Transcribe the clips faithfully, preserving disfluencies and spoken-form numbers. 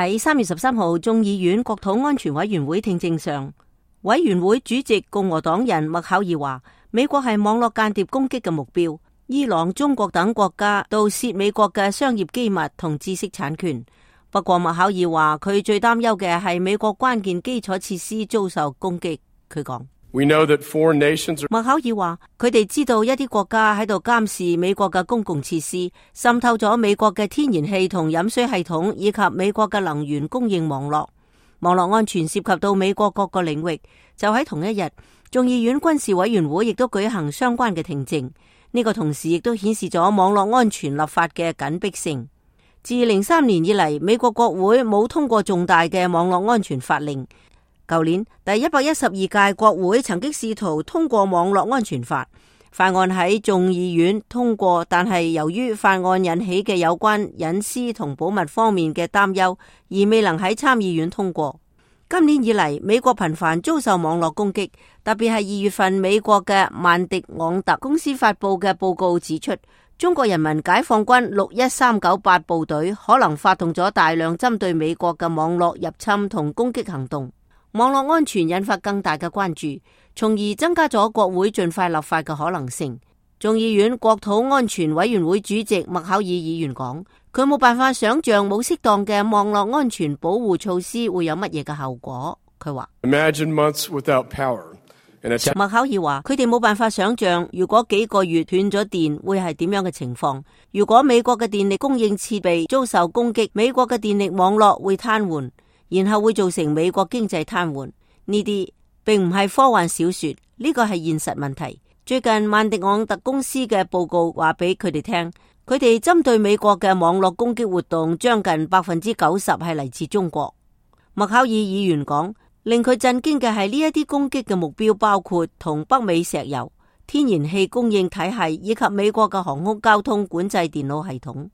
喺三月十三號眾議院國土安全委員會聽證上，委員會主席共和黨人麥考爾話，美國係網絡間諜攻擊嘅目標，伊朗、中國等國家盜竊美國嘅商業機密同知識產權。不過麥考爾話，佢最擔憂嘅係美國關鍵基礎設施遭受攻擊。佢講，麥考爾話，佢哋知道一啲國家喺度監視美國嘅公共設施，滲透咗美國嘅天然氣同飲水系統，以及美國嘅能源供應網絡。網絡安全涉及到美國各個領域。就喺同一日，眾議院軍事委員會亦都舉行相關嘅聽證。呢個同時亦都顯示咗網絡安全立法嘅緊迫性。自零三年以嚟，美國國會冇通過重大嘅網絡安全法令。舊年第一百一十二屆國會曾經試圖通過網絡安全法，法案喺眾議院通過，但係由於法案引起嘅有關隱私同保密方面嘅擔憂，而未能喺參議院通過。今年以嚟，美國頻繁遭受網絡攻擊，特別係二月份美國嘅萬迪昂特公司發佈嘅報告指出，中國人民解放軍六一三九八部隊可能發動咗大量針對美國嘅網絡入侵同攻擊行動。網絡安全引發更大嘅關注，從而增加咗國會盡快立法嘅可能性。眾議院國土安全委員會主席麥考爾議員講，佢冇辦法想象冇適當嘅網絡安全保護措施會有乜嘢嘅後果。佢話麥考爾話，佢哋冇辦法想象如果幾個月斷咗電會係點樣嘅情況。如果美國嘅電力供應設備遭受攻擊，美國嘅電力網絡會癱瘓，然後會造成美國經濟癱瘓。呢啲並唔係科幻小說，呢個係現實問題。最近萬迪昂特公司嘅報告話俾佢哋聽，佢哋針對美國嘅網絡攻擊活動將近百分之九十係嚟自中國。麥考爾議員講，令佢震驚嘅係呢一啲攻擊嘅目標包括同北美石油、天然氣供應體系以及美國嘅航空交通管制電腦系統。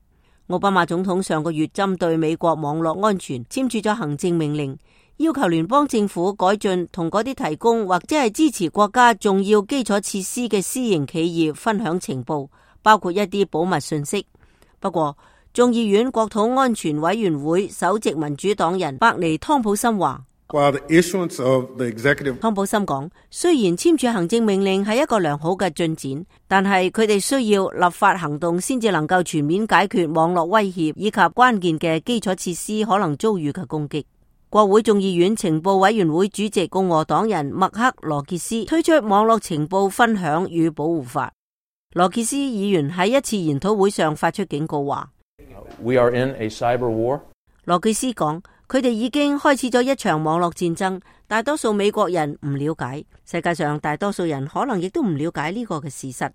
奧巴馬總統上個月針對美國網絡安全簽署咗行政命令，要求聯邦政府改進同嗰啲提供或者係支持國家重要基礎設施嘅私營企業分享情報，包括一啲保密信息。不過，眾議院國土安全委員會首席民主黨人伯尼湯普森話，湯普森講，雖然簽署行政命令係一個良好嘅進展，但係佢哋需要立法行動先至能夠全面解決網絡威脅以及關鍵嘅基礎設施可能遭遇嘅攻擊。國會眾議院情報委員會主席共和黨人麥克羅傑斯推出網絡情報分享與保護法。羅傑斯議員喺一次研討會上發出警告話， We are in a cyber war. 羅傑斯講，佢哋已經開始咗一場網絡戰爭，大多數美國人唔了解，世界上大多數人可能亦都唔了解呢個嘅事實。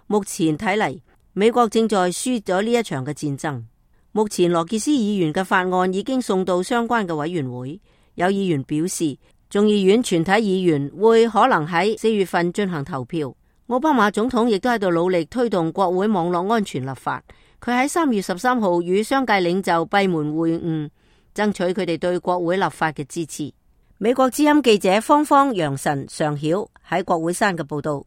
目前睇嚟，美國正在輸咗呢一場嘅戰爭。目前羅傑斯議員嘅法案已經送到相關嘅委員會，有議員表示，眾議院全體議員會可能喺四月份進行投票。奧巴馬總統亦都喺度努力推動國會網絡安全立法。佢喺三月十三號與商界領袖閉門會晤，爭取佢哋對國會立法嘅支持。美國之音記者芳芳、楊晨、常曉喺國會山嘅報道。